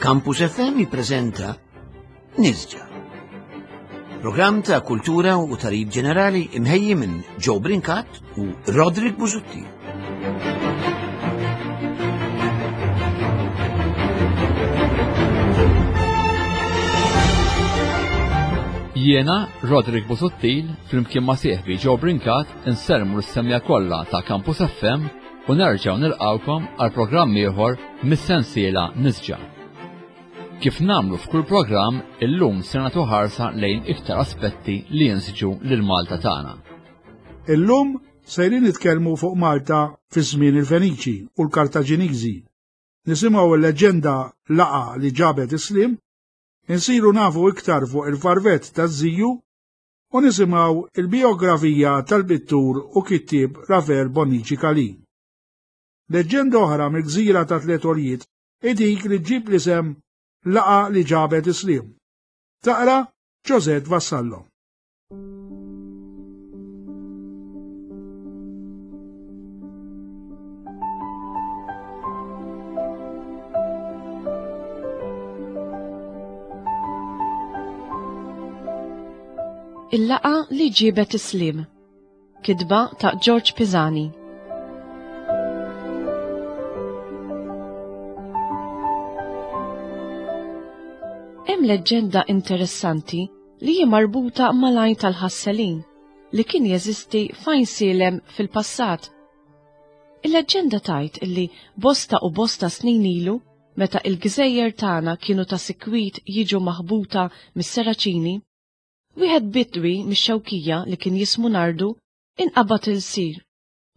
Campus FM jippreżenta Nisġa. Programm ta' kultura u tarif ġenerali imħejji minn Joe Brincat u Roderick Busuttil. Jiena, Roderick Busuttil, flimkien ma' sieħbi Joe Brincat, insermu l-semja kollha ta' Campus FM u nerġgħu nilqgħukom għal programm ieħor mis-sensiela Nisġa. Kif nagħmlu f'kull programm, illum se nagħtu ħarsa lejn iktar aspetti li jinsġu lil Malta tagħna. Illum sejrin nitkellmu fuq Malta fi żmien il-Feniċi u l-Kartaġiniżi. Nisimgħu l-leġġenda laqa li ġabet is-slim, insiru nafu iktar fuq il-farvett taż-żiju u nisimgħu il-bijografija tal-pittur u kittieb Rafael Bonnici Calì. Leġġenda oħra mill-gżira ta' Tliet Għoljiet hi dik li ġġib l-isem Laqgħa li ġabet is-sliem. Taqra Josette Vassallo. Il-laqgħa li ġiebet is-sliem. Kitba ta' George Pisani. Hemm leġġenda interessanti li hi marbuta mal-għajn tal-ħasselin li kien jeżisti f'Għajn Sielem fil-passat. Il-leġġenda tgħid illi bosta u bosta snin ilu, meta il-gżejjer tagħna kienu ta' sikwit jiġu maħbuta mis-Seraċini, wieħed bidwi mix-Xewkija li kien jismu Nardu inqabad ilsir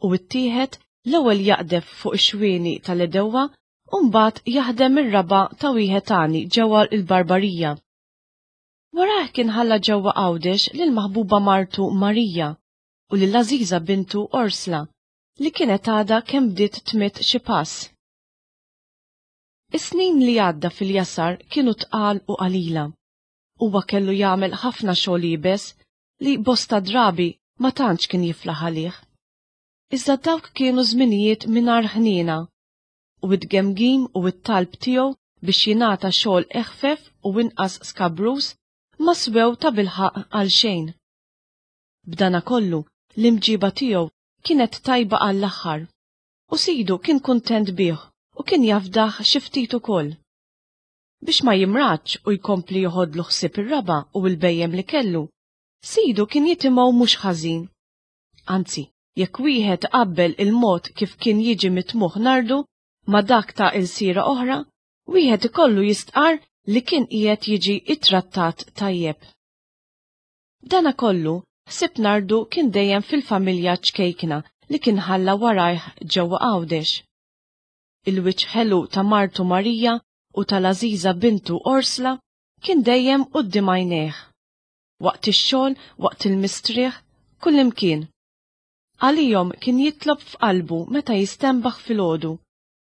u ttieħed l-ewwel jaqdef fuq ix-xwieni tal-għedewwa u mbagħad jaħdem ir-raba' ta' wieħed għani ġewwa l-Barbarija. Warajh kien ħalla ġewwa Għawdex lill-maħbuba martu Marija u lill-għażiża bintu Orsla li kienet għadha kemm bdiet tmidd xi pass. Is-snin li għadda fil-jasar kienu tqal u qalila. Huwa kellu jagħmel ħafna xogħol iebes li bosta drabi ma tantx kien jiflaħ għalih. Iżda dawk kienu żminijiet mingħajr ħniena, u t-tgemgim u t-talb tiegħu biex jingħata xogħol eħfef u inqas skabruż ma swew tabilħaqq għal xejn. B'danakollu, l-imġiba tiegħu kienet tajba għall-aħħar, u sidu kien kuntent bih u kien jafdah xi ftit ukoll. Biex ma jimradx u jkompli joħodlu ħsieb ir-raba' u l-bhejjem li kellu, sidu kien jitimgħu mhux ħażin. Anzi, jekk wieħed iqabbel il-mod kif kien jiġi mitmugħ Nardu ma' dak ta' ilsiera oħra, wieħed ikollu jistqarr li kien qiegħed jiġi ittrattat tajjeb. B'danakollu, ħsieb Nardu kien dejjem fil-familja ċkejkna li kien ħalla warajh ġewwa Għawdex. Il-wiċċ ħelu ta' martu Marija u tal-għażiża bintu Orsla kien dejjem quddiem għajnejh. Waqt ix-xogħol, waqt il-mistrieħ, kullimkien. Għalihom kien jitlob f'qalbu meta jistenbaħ filgħodu.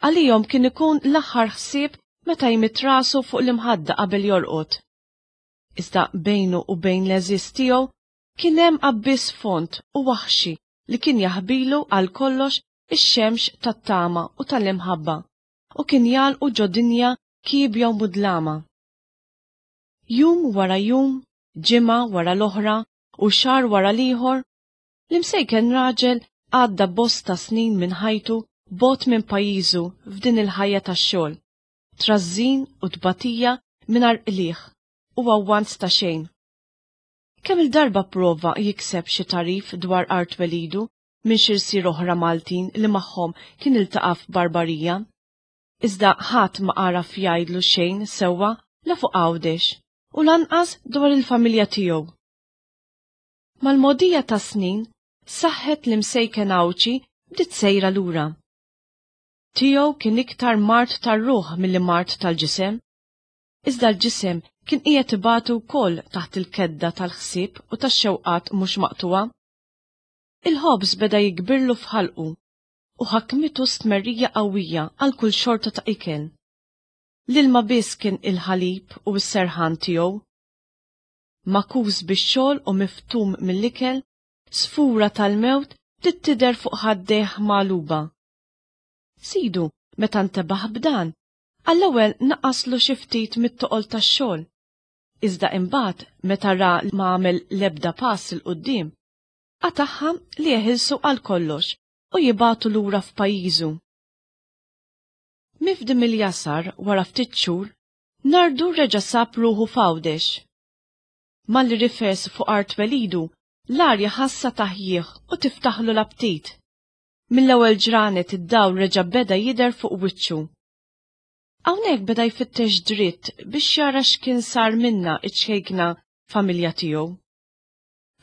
Għalihom kien ikun l-aħħar ħsieb meta jmidd rasu fuq l-imħadda qabel jorqod. Iżda bejnu u bejn l-għeżież tiegħu kien hemm abbiss fond u waħxi li kien jaħbilu għal kollox ix-xemx tat-tama u tal-imħabba u kien jagħlqu ġo dinja kiebja u mudlama. Jum wara jum, ġimgħa wara l-oħra u xahar wara l-ieħor, l-imsejken raġel għadda bosta snin minn ħajtu bogħod minn pajjiżu f'din il-ħajja tax-xogħol. trażżin u tbatija mingħajr qligħ u avvanz ta' xejn. Kemm-il darba pprova jikseb xi tagħrif dwar art twelidu minn xi rsier oħra Maltin li magħhom kien iltaqa' f'Barbarija. Iżda ħadd ma għaraf jgħidlu xejn sewwa la fuq Għawdex u lanqas dwar il-familja tiegħu. Mal-mogħdija tas-snin, saħħet l-imsejken Għawdxi bdiet sejra lura. Tiegħu kien iktar mard tar-ruħ milli mard tal-ġisem. Iżda l-ġisem kien qiegħed ibati wkoll taħt il-kedda tal-ħsieb u tax-xewqat mhux maqtugħa. Il-ħobż beda jikbirlu f'ħalqu u ħakmitu stmerrija qawwija għal kull xorta ta' ikel. L-ilma biss kien il-ħalib u s-serħan tiegħu. Magħkus bix-xogħol u miftum mill-ikel, sfura tal-mewt bdiet tidher fuq ħaddejh magħluba. Sidu, meta ntebaħ b'dan, Għall-ewwel naqaslu xi ftit mit-toqol tax-xogħol. Iżda imbagħad meta ra li ma għamel l-ebda pass 'il quddiem, qatagħha li jeħilsu għal kollox u jibagħtu lura f'pajjiżu. Mifdi mill-jasar wara ftit xhur, Nardu reġa' sab ruħu f'Għawdex. Malli rifes fuq art twelidu, l-arja ħassha taħjih u tiftaħlu l-aptit. Mill-ewwel ġranet id-dawl reġa' beda jidher fuq wiċċu. Hawnhekk beda jfittex dritt biex jara x'kien sar minnha ċ-ċkejkna familja tiegħu.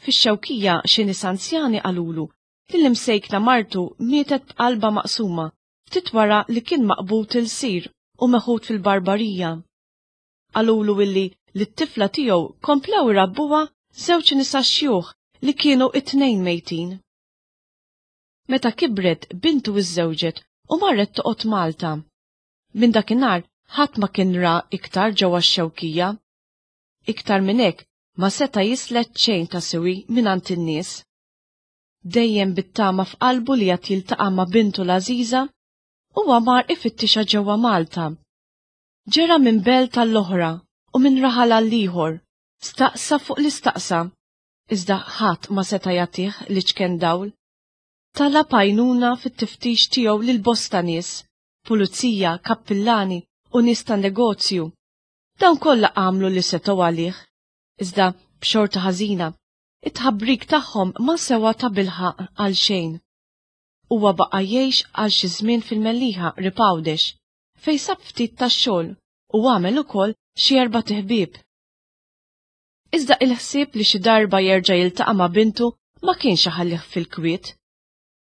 Fix-Xewkija xi nies anzjani qalulu li l-imsejkna martu mietet b'qalbha maqsuma ftit wara li kien maqbud ilsir u meħud fil-barbarija. Qalulu illi lit-tifla tiegħu komplew irabbuha żewġ nisa xjuħ li kienu t-tnejn mejtin. Meta kibret bintu iżżewġet u marret toqgħod Malta. Minn dakinhar ħadd ma kien ra iktar ġewwa x-Xewkija. Iktar minn hekk ma seta' jislet xejn ta' siwi mingħand in-nies. Dejjem bit-tama f'qalbu li għad jiltaqa' ma' bintu l-għażiża, huwa mar ifittixha ġewwa Malta. Ġera minn belt għall-oħra u minn raħal għall-ieħor, staqsa fuq li staqsa, iżda ħadd ma seta' jagħtih l-iċken dawl. Talab għajnuna fit-tiftix tiegħu lil bosta nies, pulizija, kappillani u nies tan-negozju. Dawn kollha għamlu li setgħu għalih, iżda b'xorta ħażina, it-tħabbrik tagħhom ma sewa tabilħaqq għal xejn. Huwa baqa' jgħix għal xi żmien fil-Mellieħa qrib Għawdex, fejn sab ftit tax-xogħol u għamel ukoll xi erbat iħbieb. Iżda il-ħsieb li xi darba jerġa' jiltaqa' ma' bintu ma kienx iħallih fil-kwiet.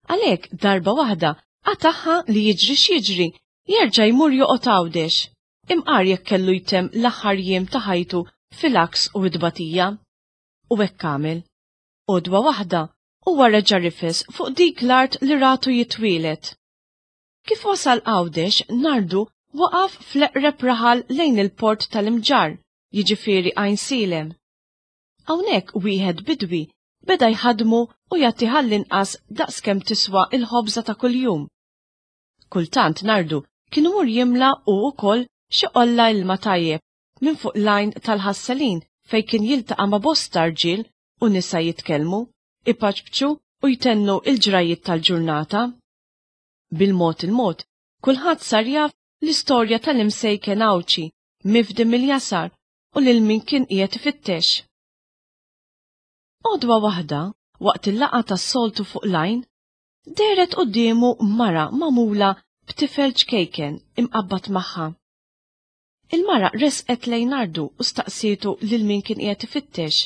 Għalhekk darba waħda qatagħha li jiġri x'jiġri jerġa' jmur joqgħod Għawdex, imqar jekk kellu jtemm l-aħħar jiem ta' ħajtu fil-għaks u t-tbatija. U hekk għamel. Għodwa waħda, huwa reġa' rifes fuq dik l-art li ratu jitwieled. Kif wasal Għawdex, Nardu waqaf fl-eqreb raħal lejn il-port tal-Imġarr, jiġifieri Għajnsielem. Hawnhekk wieħed bidwi beda jħaddmu u jagħtih għall-inqas daqs kemm tiswa l-ħobża ta' kuljum. Kultant Nardu kien imur jimla hu wkoll xi qolla ilma tajjeb minn fuq l-għajn tal-ħasselin fejn kien jiltaqa' ma' bosta rġiel u nisa jitkellmu, ipaċpċu u jtennu l-ġrajjiet tal-ġurnata. Bil-mod il-mod, kulħadd sar jaf l-istorja tal-imsejken Għawdxi mifdi mill-jasar u lil min kien qiegħed ifittex. Għodwa waħda, waqt il-laqgħa tas-soltu fuq l-għajn, dehret quddiemu mara magħmula b'tifel ċkejken imqabbad magħha. Il-mara resqet lejn Nardu u staqsietu lil min kien qiegħed ifittex.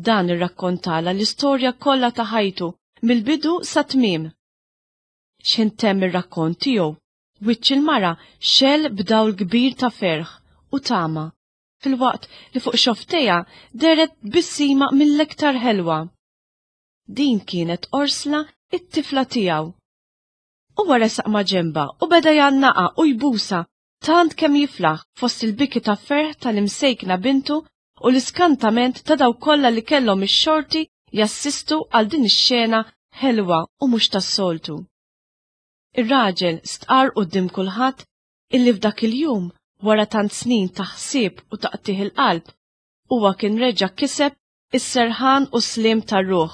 Dan irrakkontalha l-istorja kollha ta' ħajtu mill-bidu sat-tmiem. X'ħin temm ir-rakkont tiegħu, wiċċ il-mara xegħel b'dawl kbir ta' ferħ u tama, filwaqt li fuq xofftejha dehret tbissima mill-iktar ħelwa. Din kienet Orsla it-tifla tiegħu. Huwa resaq maġenbha u beda jgħannaqha u jbusha tant kemm jiflaħ fost il-biki ta' ferħ tal-imsejkna bintu u l-iskantament ta' dawk kollha li kellhom ix-xorti jassistu għal din ix-xena ħelwa u mhux tas-soltu. Ir-raġel stqarr quddiem kulħadd illi f'dak il-jum, wara tant snin ta' ħsieb u taqtigħ il-qalb, huwa kien reġa' kiseb is-serħan u s-sliem tar-ruħ.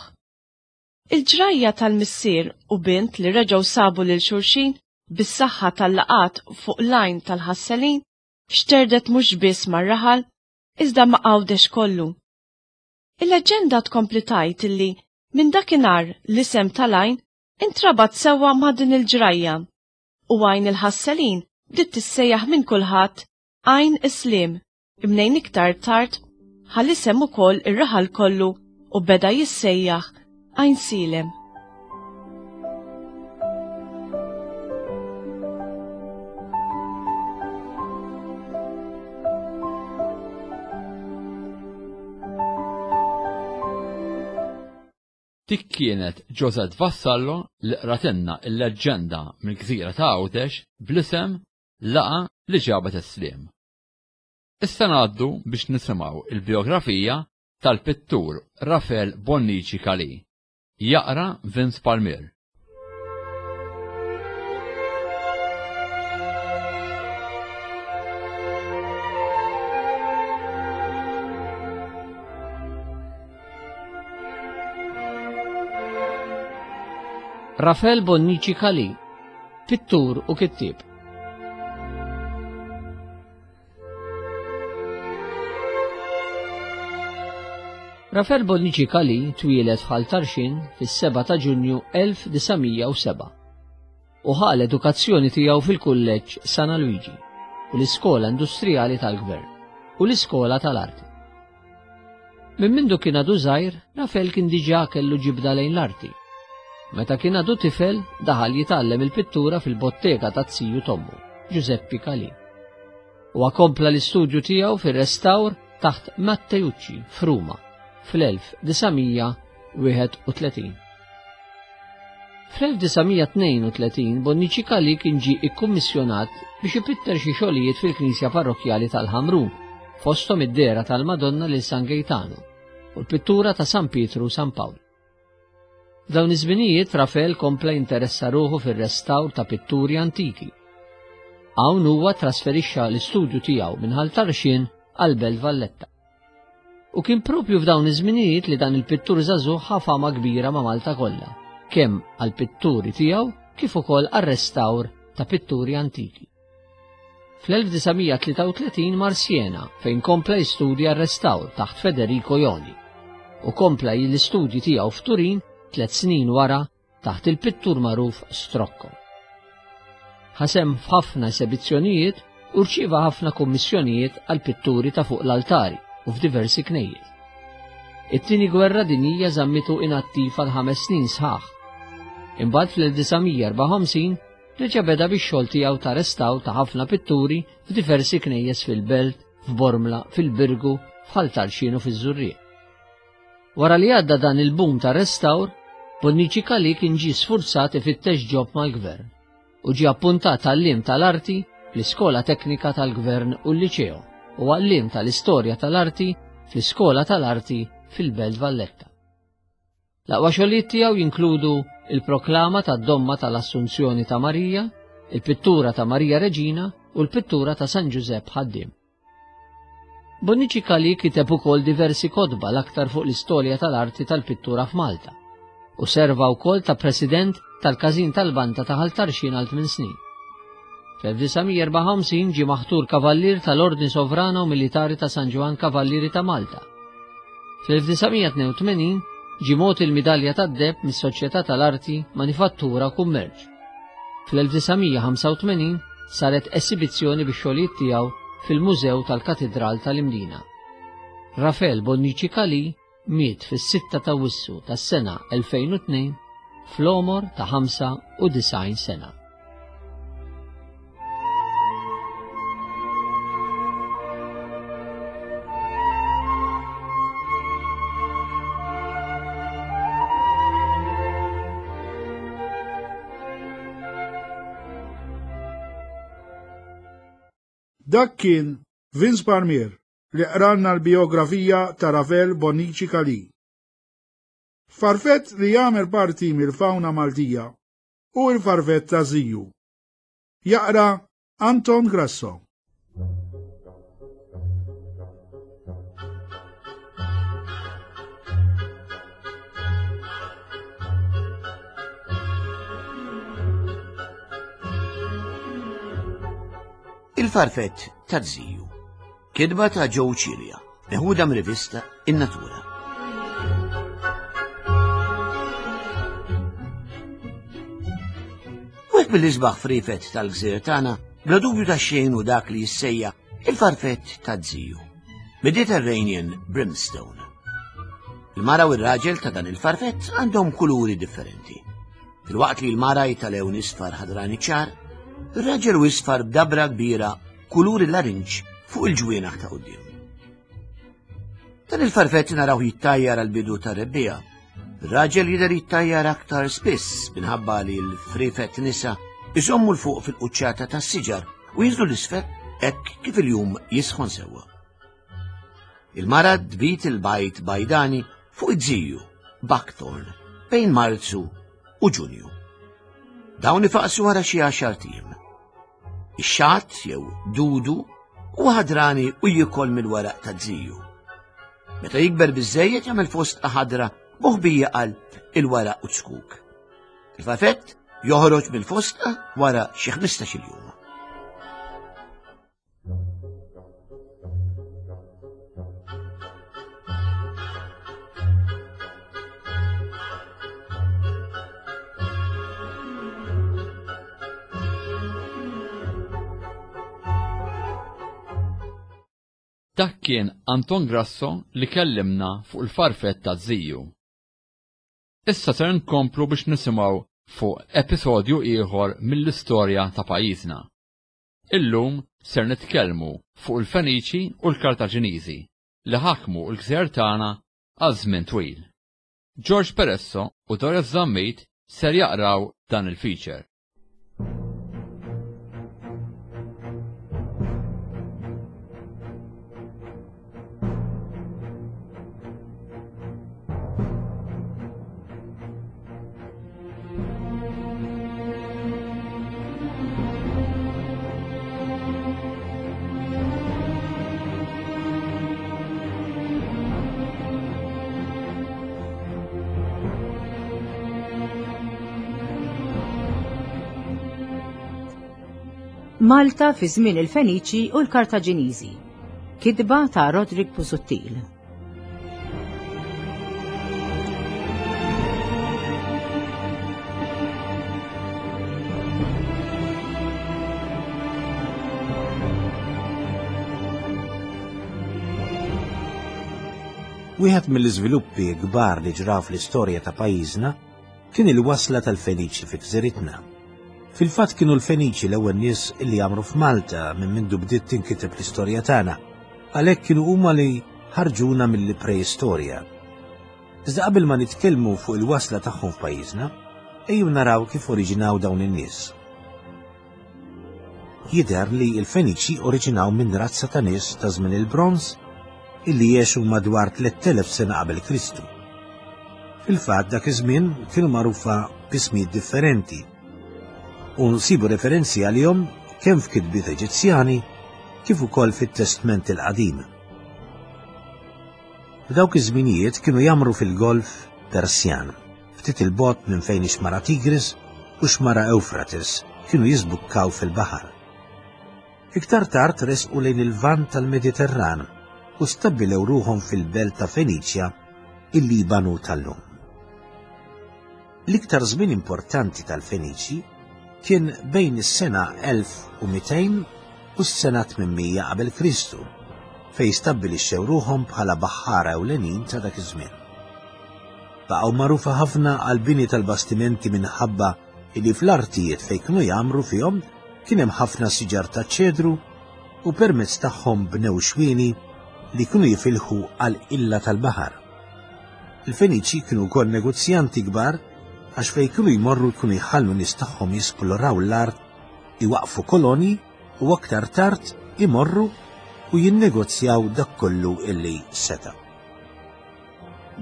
Il-ġrajja tal-missier u bint li reġgħu sabu lil xulxin bis-saħħa tal-laqgħat fuq l-għajn tal-ħasselin xterdet mhux biss mar-raħal iżda ma' Għawdex kollu. Il-leġġenda tkompli tgħid illi minn dakinhar l-isem tal-għajn intrabat sewwa ma' din il-ġrajja u Għajn il-Ħasselin bdiet tissejjaħ minn kulħadd Għajn is-Sliem. Mnejn iktar tard ħa l-isem ukoll ir-raħal kollu u beda jissejjaħ Għajnsielem. Dik kienet Josette Vassallo li qratilna l-leġġenda mill-gżira ta' Għawdex bl-isem Laqgħa li ġabet is-sliem. Issa ngħaddu biex nisimgħu l-bijografija tal-pittur Rafel Bonnici Calì. Jaqra Vince Palmier. Rafel Bonnici Calì, pittur u kittieb. Rafel Bonnici Calì twieled f'Ħal Tarxien fis-7 ta' Ġunju 1907 u ħa l-edukazzjoni tiegħu fil-Kulleġġ San Alwiġi u l-Iskola Industrijali tal-Gvern u l-Iskola tal-Arti. Minn mindu kien għadu żgħir, Rafel kien diġà kellu ġibda lejn l-arti. Meta kien għadu tifel, daħal jitgħallem il-pittura fil-bottega ta' ziju t'ommu, Giuseppe Calì. Huwa kompla l-istudju tiegħu fir-restawr taħt Matteucci f'Ruma fl-1931. Fl-1932 Bonnici Calì kien ġie ikkummissjonat biex ipitter xi xogħlijiet fil-knisja parrokkjali tal-Ħamrun, fosthom id-dehra tal-Madonna lil San Gejtanu u l-pittura ta' San Pietru u San Pawl. F'dawn iż-żminijiet Rafel kompla jinteressa ruħu fir-restawr ta' pitturi antiki. Hawn huwa trasferixxa l-istudju tiegħu minn Ħal Tarxien għal Belt Valletta. U kien propju f'dawn iż-żminijiet li dan il-pittur żagħżugħ ħa fama kbira ma' Malta kollha, kemm għall-pitturi tiegħu kif ukoll għar-restawr ta' pitturi antiki. Fl-1933 mar Siena fejn kompla jistudja r-restawr taħt Federico Joni u kompla l-istudji tiegħu f'Turin tliet snin wara taħt il-pittur magħruf Strocco. Ħa sehem f'ħafna esebizzjonijiet u rċieva ħafna kummissjonijiet għal pitturi ta' fuq l-altari u f'diversi knejjes. It-Tieni Gwerra Dinjija żammitu inattiv għal ħames snin sħaħ. Imbagħad fl-1954 reġa' beda bix-xogħol tiegħu ta' restawr ta' ħafna pitturi f'diversi knejjes fil-Belt, f'Bormla, fil-Birgu, f'Ħal Tarxien u fiż-Żurrieq. Wara li għadda dan il-boom ta' restawr, Bonnici Calì kien ġie sfurzat ifittex ġob mal-gvern u ġie appuntat għalliem tal-arti fl-Iskola Teknika tal-Gvern u l-Liċeo u għalliem tal-Istorja tal-Arti fl-Iskola tal-Arti fil-Belt Valletta. L-aqwa xogħlijiet tiegħu jinkludu il-proklama tad-Domma tal-Assunzjoni ta' Marija, il-pittura ta' Marija Reġina u l-pittura ta' San Ġużepp Ħaddiem. Bonnici Calì kiteb ukoll diversi kotba l-aktar fuq l-istorja tal-arti tal-pittura f'Malta u serva wkoll ta' president tal-Każin tal-Banda ta' Ħal Tarxien għal tmien snin. Fl-1954 ġie maħtur Kavallier tal-Ordni Sovrana u Militari ta' San Ġwann Kavallieri ta' Malta. Fl-1982 ġie mogħti l-Midalja tad-Deheb mis-Soċjetà tal-Arti, Manifattura u Kummerċ. Fl-1985 saret esibizzjoni bix-xogħlijiet tiegħu fil-Mużew tal-Katidral tal-Imdina. Rafel Bonnici Calì miet fis-6 ta' Awwissu tas-sena 2002 fl-għomor ta' 95 sena. Dak kien Vince Parmier li qralna l-bijografija ta' Ravel Bonnici Calì. Farfett li jagħmel parti mill-fawna Maltija hu l-farfett ta' Ziju. Jaqra Anton Grasso. Il-farfett ta' ziju. Kidba ta' Joe Cilia, meħuda mir-rivista In-Natura. Wieħed mill-isbaħ frifet tal-gżir tagħna bla dubju ta' xejn u dak li jissejja il-farfett ta' ziju. Mediterranean Brimstone. Il-mara u r-raġel ta' dan il-farfett għandhom kuluri differenti. Filwaqt li l-mara hi ta' lewn isfar ħadrani ċar, ir-raġel u isfar b'dabra kbira kulur il-larinġ fuq il-ġwienaħ ta' quddiem. Dan il-farfett naraw jittajjar għal bidu ta' rebbija. Ir-raġel jidher jittajjar aktar spiss minħabba li l-frifett nisa iżommu l-fuq fil-quċċata tas-siġar u jinżlu l-isfel hekk kif il-jum jisħon sewwa. Il-mara tbit il-bajt bajdani fuq id-ziju, Buckthorn, bejn Marzu u Ġunju. Dawn ifaqsu wara xi għaxar tiem. Ix-xatt jew dudu huwa ħadrani u jiekol mill-weraq ta' ziju. Meta jikber biżejjed jagħmel fosdqa ħadra moħbija qalb il-weraq u zkuk. Il-farfett joħroġ mill-fosta wara xi 15-il jum. Dak kien Anton Grasso li kellimna fuq il-farfett ta' ziju. Issa ser nkomplu biex nisimgħu fuq episodju ieħor mill-istorja ta' pajjiżna. Illum ser nitkellmu fuq il-Feniċi u l-Kartaġiniżi li ħakmu l-gżejjer tagħna għal żmien twil. George Peresso u Doris Zammit ser jaqraw dan il-feature. Malta fi żmien il-Feniċi u l-Kartaġiniżi. Kitba ta' Roderick Busuttil. Wieħed mill-iżviluppi kbar li ġraw fl-istorja ta' pajjiżna kien il-wasla tal-Feniċi fi gżiritna. Fil-fatt kienu l-Feniċi l-ewwel nies li għamru f'Malta minn mindu bdiet tinkiteb l-istorja tagħna. Għalhekk kienu huma li ħarġuna mill-preistorja. Iżda qabel ma nitkellmu fuq il-wasla tagħhom f'pajjiżna, ejjew naraw kif oriġinaw dawn in-nies. Jidher li l-Feniċi oriġinaw minn razza ta' nies ta' żmien il-Bronż illi għexu madwar 3000 sena qabel Kristu. Fil-fatt dak iż-żmien kienu magħrufa b'ismijiet differenti u nsibu referenzi għalihom kemm f'kitbiet Eġizzjani kif ukoll fit-Testment il-Qadim. F'dawk iż-żminijiet kienu jgħammru fil-Golf Persjan. ftit 'il bogħod minn fejn ix-xmara Tigris u x-xmara Ewfrates kienu jiżbukkaw fil-baħar. Iktar tard resqu lejn il-Lvant tal-Mediterran u stabbilew ruħhom fil-belt ta' Feniċja, il-Libanu tal-lum. L-iktar żmien importanti tal-Feniċi kien bejn is-sena 1200 u s-sena 800 qabel Kristu, fejn stabbilixxew ruħhom bħala baħħara ewlenin ta' dak iż-żmien. Baqgħu magħrufa ħafna għall-bini tal-bastimenti minħabba li fl-artijiet fejn kienu jgħammru fihom kien hemm ħafna siġar taċ-ċedru u permezz tagħhom bnew xwieni li kienu jifilħu għall-qilla tal-baħar. Il-Feniċi kienu wkoll negozjanti kbar għax fejn kienu jmorru kienu jħallu nies tagħhom jisploraw l-art, iwaqqfu kolonji u aktar tard imorru u jinnegozjaw dak kollu illi setgħu.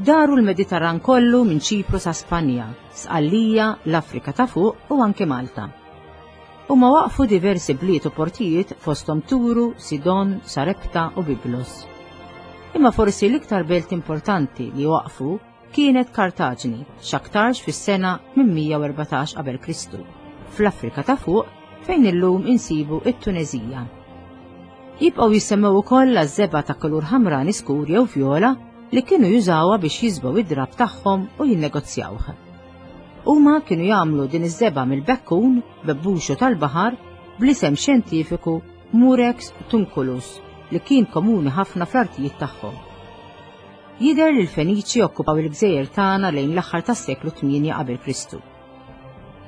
Daru l-Mediterran kollu minn Ċipru sa Spanja, Sqallija, l-Afrika ta' fuq u anke Malta. Huma waqfu diversi bliet u portijiet fosthom Turu, Sidon, Sarepta u Biblos. Imma forsi l-iktar belt importanti li waqfu kienet Kartaġni, x'aktarx fis-sena 814 qabel Kristu, fl-Afrika ta' fuq fejn illum insibu it-Tuneżija. Jibqgħu jissemmew ukoll għaż-żebgħa ta' kulur ħamrani skur jew vjola li kienu jużawha biex jiżbgħu id-drapp tagħhom u jinnegozjawh. Huma kienu jagħmlu din iż-żebgħa mill-bekkun, bebbuxu tal-baħar, bl-isem xjentifiku Murex tunculus li kien komuni ħafna fl-artijiet tagħhom. Jidher li l-Feniċi okkupaw il-gżejjer tagħna lejn l-aħħar tas-seklu 8 qabel Kristu.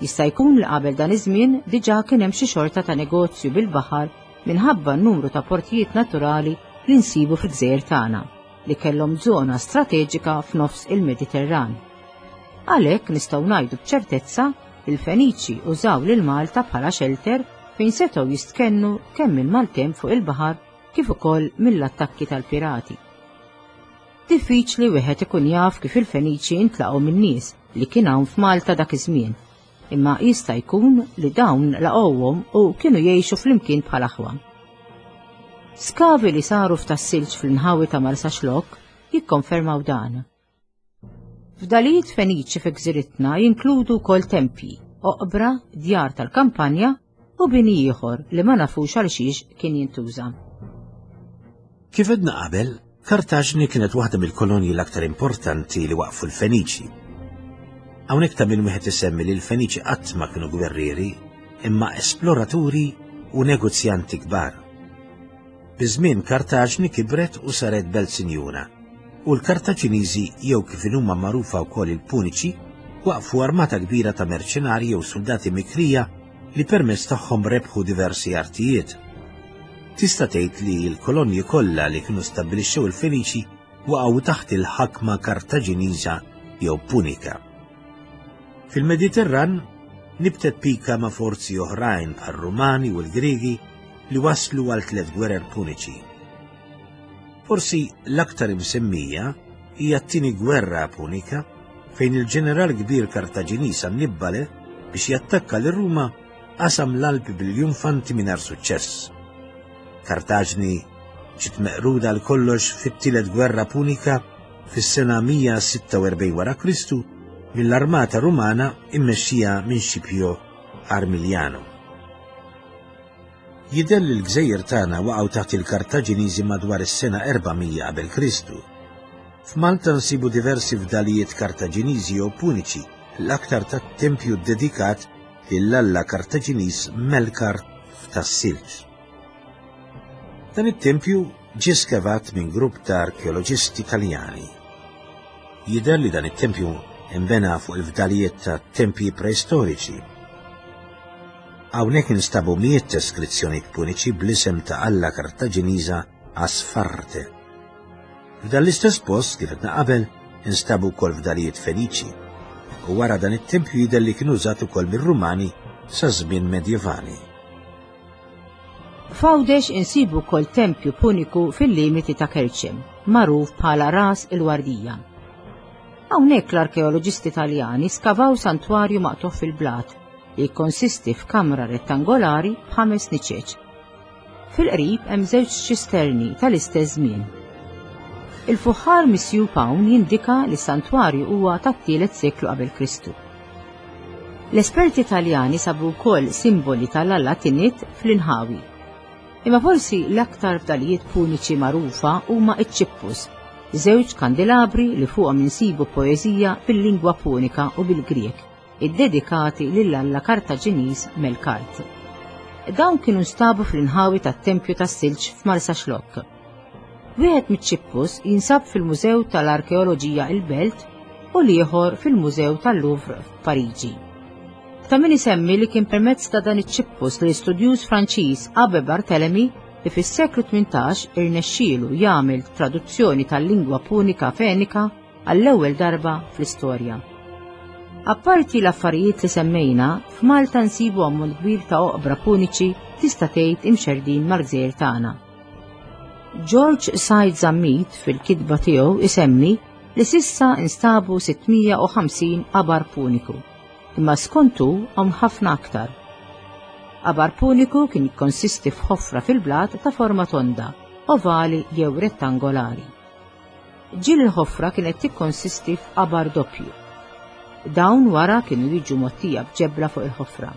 Jista' jkun li qabel dan iż-żmien diġà kien hemm xi xorta ta' negozju bil-baħar minħabba n-numru ta' portijiet naturali li nsibu fil-gżejjer tagħna li kellhom żona strateġika f'nofs il-Mediterran. Għalhekk nistgħu ngħidu b'ċertezza li l-Feniċi użaw lil Malta bħala xelter fejn setgħu jistkennu kemm minn maltemp fuq il-baħar kif ukoll mill-attakki tal-pirati. Diffiċli wieħed ikun jaf kif il-Feniċi intlaqgħu min-nies li kien hawn f'Malta dak iż-żmien, imma jista' jkun li dawn laqgħuhom u kienu jgħixu flimkien bħal aħwa. Skavi li saru f'Tas-Silġ fl-inħawi ta' Marsaxlokk jikkonfermaw dan. Fdalijiet Feniċi fi gżiritna jinkludu wkoll tempji, oqbra, djar tal-kampanja u bini ieħor li ma nafux għal xiex kien jintuża. Kif għedna qabel, Kartaġni kienet waħda mill-kolonji l-aktar importanti li waqfu l-Feniċi. Hawnhekk ta' min wieħed isemmi li l-Feniċi qatt ma kienu gwerrieri, imma esploraturi u negozjanti kbar. Biż-żmien Kartaġni kibret u saret belt sinjura, u l-Kartaġiniżi jew kif inhuma magħrufa wkoll il-Puniċi waqfu armata kbira ta' merċenarji jew suldati mikrija li permezz tagħhom rebħu diversi artijiet. Tista' tgħid li l-kolonji kollha li kienu stabbilixxew il-Feniċi waqgħu taħt il-ħakma Kartaġiniża jew Punika. Fil-Mediterran nibtet pika ma' forzi oħrajn bħar-Rumani u l-Griegi li waslu għal tliet gwerer Puniċi. Forsi l-aktar imsemmija hija t-tieni gwerra Punika fejn il-ġeneral kbir Kartaġiniż Annibbale biex jattakka lil Ruma qasam l-Alpi bil-junfanti mingħajr suċċess. Kartaġni ġiet meqruda għal kollox fit-tielet gwerra Punika fis-sena 146 wara Kristu mill-armata Rumana immexxija minn Scipio Armiliano. Jidher li l-gżejjer tagħna waqgħu taħt il-Kartaġiniżi madwar is-sena 400 qabel Kristu. F'Malta nsibu diversi fdalijiet Kartaġiniżi jew Puniċi, l-aktar tat-tempju ddedikat lill-alla Kartaġiniż Melkart f'Tas-Silġ. Dan it-tempju ġie skavat minn grupp ta' arkeoloġisti Taljani. Jidher li dan it-tempju nbena fuq il-fdalijiet ta' tempji preistoriċi. Hawnhekk instabu mijiet ta' skrizzjonijiet Puniċi bl-isem ta' alla Kartaġiniża Asfarte. F'dan l-istess post, kif għedna qabel, instabu wkoll fdalijiet Feniċi. U wara dan it-tempju jidher li kien użat ukoll mir-Rumani sa żmien Medjevali. F'Għawdex insibu wkoll tempju Puniku fil-limiti ta' Kerċem, magħruf bħala Ras il-Wardija. Hawnhekk l-arkeoloġisti Taljani skavaw santwarju maqtugħ fil-blat li jikkonsisti f'kamra rettangolari b'ħames niċeċ. Fil-qrib hemm żewġ ċisterni tal-istess żmien. Il-fuħħar misjub hawn jindika li s-santwarju huwa tat-tielet seklu qabel Kristu. L-esperti Taljani sabu wkoll simboli tal-alla Tinit fl-inħawi. Imma forsi l-aktar fdalijiet puniċi magħrufa huma ċ-ċippus, żewġ kandilabri li fuqhom insibu poeżija bil-lingwa Punika u bil-Grieg, iddedikati lill-alla Kartaġiniż Melkart. Dawn kienu nstabu fl-inħawi tat-Tempju tas-Silġ f'Marsaxlokk. Wieħed miċ-ċippus jinsab fil-Mużew tal-Arkeoloġija il-Belt u l-ieħor fil-Mużew tal-Louvre f'Pariġi. Ta' min isemmi li kien permezz ta' dan iċ-ċippus li l-istudjuż Franċiż Abbé Barthélemy li fis-seklu 18 irnexxielu jagħmel traduzzjoni tal-lingwa Punika Fenika għall-ewwel darba fl-istorja. Apparti l-affarijiet li semmejna, f'Malta nsibu ammont kbir ta' oqbra puniċi tista' tgħid imxerrdin mal-gżejjer tagħna. George Said Zammit fil-kitba tiegħu isemmi li sissa instabu 650 qabar puniku, imma skontu hawn ħafna aktar. Qabar puniku kien jikkonsisti f'ħofra fil-blat ta' forma tonda, ovali jew rettangolari. Ġieli l-ħofra kienet tikkonsisti f'qabar doppju. Dawn wara kienu jiġu mgħottija b'ġebla fuq il-ħofra.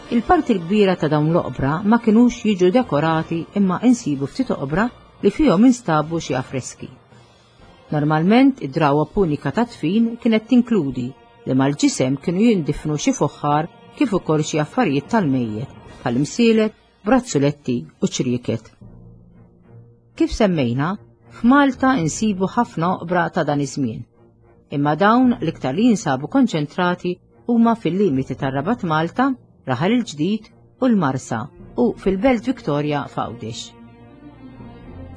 Il-parti l-kbira ta' dawn l-oqbra ma kinux jiġu dekorati imma insibu ftit oqbra li fihom instabu xi affreski. Normalment id-drawwa punika ta' dfin kienet tinkludi li mal-ġisem kienu jindifnu xi fuħħar kif ukoll xi affarijiet tal-mejjet bħal imsielet, brazzuletti u ċrieket. Kif semmejna, f'Malta insibu ħafna oqbra ta' dan iż-żmien. Imma dawn l-iktar li jinsabu konċentrati huma fil-limiti tar-Rabat Malta, Raħal il-Ġdid u l-Marsa u fil-Belt Victoria f'Għawdex.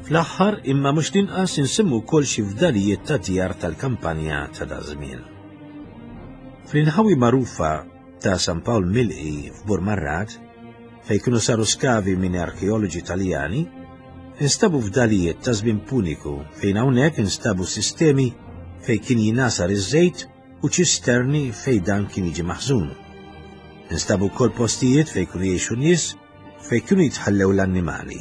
Fl-aħħar imma mhux l-inqas insemmu wkoll xi fdalijiet ta' djar tal-kampanja ta' daż-żmien. Fl-inħawi magħrufa ta' San Pawl Milqi f'Burmarrad, fejn kienu saru skavi minn arkeoloġi Taljani, instabu fdalijiet ta' żmien Puniku fejn hawnhekk instabu sistemi fejn kien jingħasar iż-żejt u ċisterni fejn dan kien jiġi maħżun. Instabu wkoll postijiet fejn kienu jgħixu nies fejn kienu jitħallew l-annimali.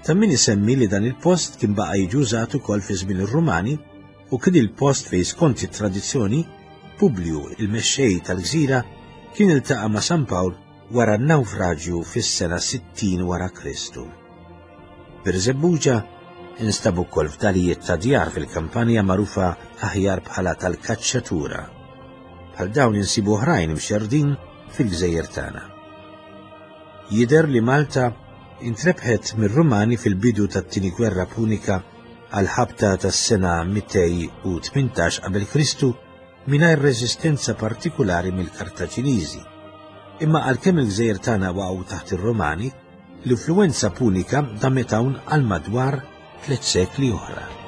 Ta' min isemmi li dan il-post kien baqa' jiġi użat ukoll fi żmien ir-Rumani. u kien il-post fejn skont it-tradizzjoni Publiju, il-mexxej tal-gżira, kien iltaqa' ma' San Pawl wara n-nawfraġju fis-sena 60 wara Kristu. Birżebbuġa instabu wkoll fdalijiet ta' djar fil-kampanja magħrufa aħjar bħala tal-kaċċatura. Bħal dawn insibu oħrajn imxerrdin fil-gżejjer tagħna. Jidher li Malta intrebħet mir-Rumani fil-bidu tat-Tieni Gwerra Punika għall-ħabta tas-sena 218 qabel Kristu mingħajr reżistenza partikulari mill-Kartaġiniżi. Imma għalkemm il-gżejjer tagħna waqgħu taħt ir-Rumani, l-influwenza Punika damet hawn għal madwar tlett sekli oħra.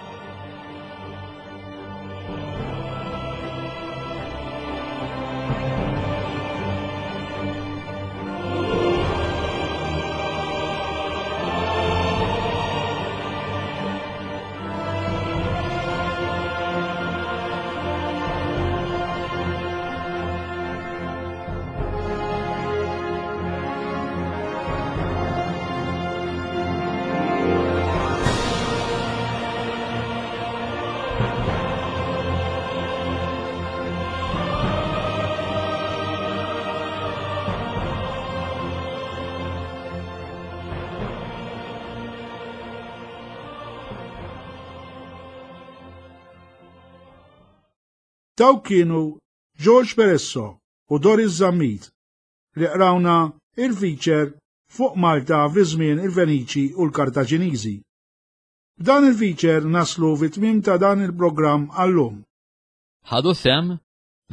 Dawk kienu George Peresso u Doris Zammit li qrawna il-feature fuq Malta fi żmien il-Feniċi u l-Kartaġiniżi. B'dan il-feature naslu fi tmiem ta' dan il-programm għal-lum. Ħadu sehem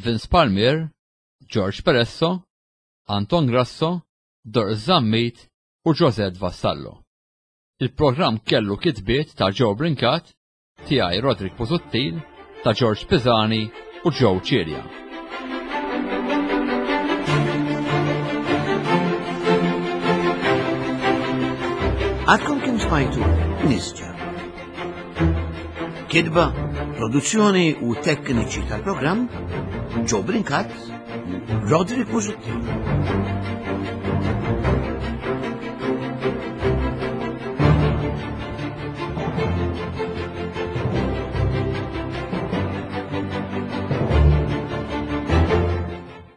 Vince Palmier, George Peresso, Anton Grasso, Doris Zammit u Josette Vassallo. Il-programm kellu kitbiet ta' Joe Brincat, tiegħi Roderick Busuttil, ta' George Pisani u Joe Cilia. Għadkom kim smajtu Nisġa. Kidba, produzzjoni u tekniċi tal-programm Joe Brincat u Roderick Busuttil.